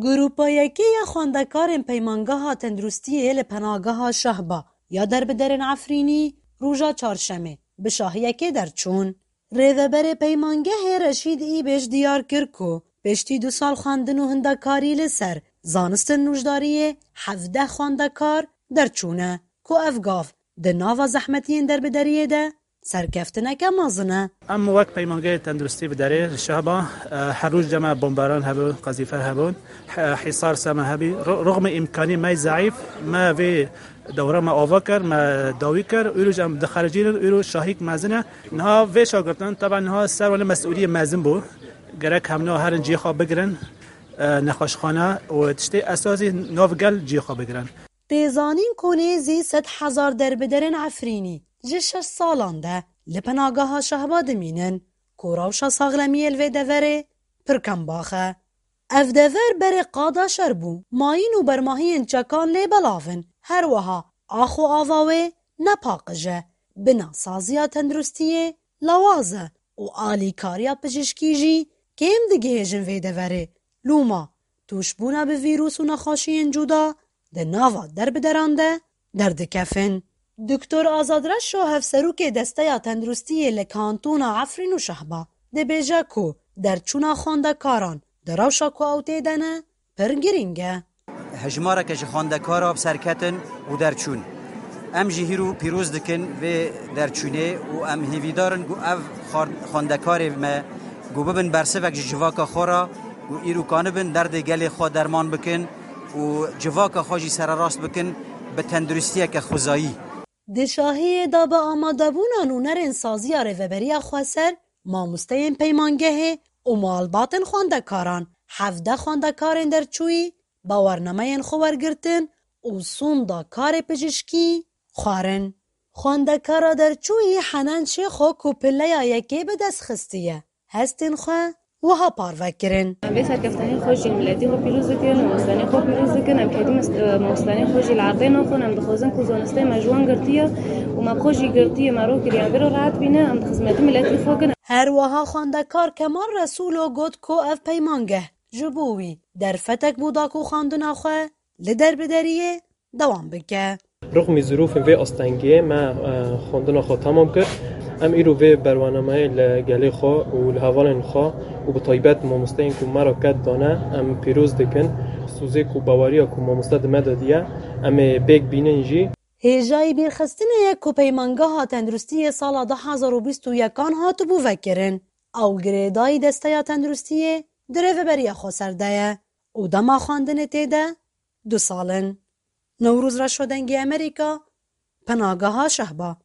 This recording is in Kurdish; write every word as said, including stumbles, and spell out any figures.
Grupa yekê ya xwendekarên Peymangeha Tenduristiyê li Penageha Şehba ya derbiderên Efrînî roja Çarşemê bi şahiyekê derçûn. Rêveberê Peymangehê Reşîd Îbêj diyar kir ku piştî du sal xwendin û hindekarî li ser zanistin nûjdariyê hevdeh xwendekar derçûne ku ev gav di nava zehmetiyên derbideriyê de serkeftineke mezin e. Em wek Peymangehê Tenduristî bi derê li Şehba, e, her roj cem me bomberan hebûn, qezîfer hebûn, he-, hîsar ser me hebî. Ru-, ruxmê îmkanî me zeîf, me vê dewra me ava kir, me dawî kir. Îro jî em dixericînin, îro şahîk mezin e. Niha vê şagirtin, teben niha ser wan mesûliyê mezin bû. Gerek hemna herin cihê xwe bigirin, e, nexweşxane û tiştê esasî nav gel cihê xwe bigirin. Tê zanîn ku nêzî sed hezar derbiderên Efrînî ji şeş salan de li Penageha Şehba dimînin ku rewşa saxlemiyê li vê deverê pir kembax e. Ev dever berê qada şer bû, mayîn û bermahiyên çekan lê belav in. Her wiha ax û ava wê ne paqij e, bina saziya tenduristiyê lawaz e û alîkariya pijîşkî jî kêm digihêjin vê deverê. Lûma tûşbûna bi vîrus û nexweşiyên cuda di nava derbideran de derdikevin. Doktor Azad Reşo, hevserokê Desteya Tenduristiyê li Kantona Efrîn û Şehba, dibêje ku derçûna xwendekaran di rewşa ku ew tê de ne, pir girîng e. Hejmareke ji xwendekara bi ser ketin û derçûn. Em jî hîro pîroz dikin vê derçûnê û em hêvîdar in ku ev xwar-, xwendekarê me ku bibin bersivek ji civaka xwe re û îro kanibin derdê gelê xwe derman bikin û civaka xwe jî sererast bikin bi tenduristiyeke xwezayî. Di şahiyê de bi amadebûna nûnerên saziya Rêveberiya Xweser, mamosteyên peymangehê û malbatên xwendekaran, hevdeh xwendekarên derçûyî bawernameyên xwe wergirtin û sonda karê pijîşkî xwarin. Xwendekara derçûyî Henan Şêxo ku pileya yekê bi dest xistiye, hestên xwe wiha parve kirin. Em vê serkeftinê xwe jî miletî xwe pîroz dikin, mamostanê xwe pîroz dikin. Em kedî mes-, e, mamostanê xwe jî li erdê naxin. Em dixwazin ku zanistê me ji wan girtiye û me bi xwe jî girtiye, me rokiriye. Em vê re rehet bîne, em di xizmetî miletî xwe kin. Her wiha xwendekar Kemal Resûlo got ku ev peymangeh ji bo wî derfetek bû da ku xwendina xwe li derbideriyê dewam bike. Rixmî zirûfên vê astengiyê me, e, xwendina xwe temam kir. Em îro vê berwanameyê li gelê xwe û li hevalên xwe û bi taybet mamosteyên ku me re qet dane, em pîroz dikin. Sozê ku baweriya ku mamoste di me de diye, em ê pêk bînin jî. Hêjayî bîrxistinê ye ku Peymangeha Tenduristiyê sala du hezar û bîst û yekan hatibû vekirin. Ew girêdayî Desteya Tenduristiyê di Rêveberiya Xweser de ye û dema xwendinê tê de du sal in. Newroz Reşo, Dengê Amerîka, Penageha Şehba.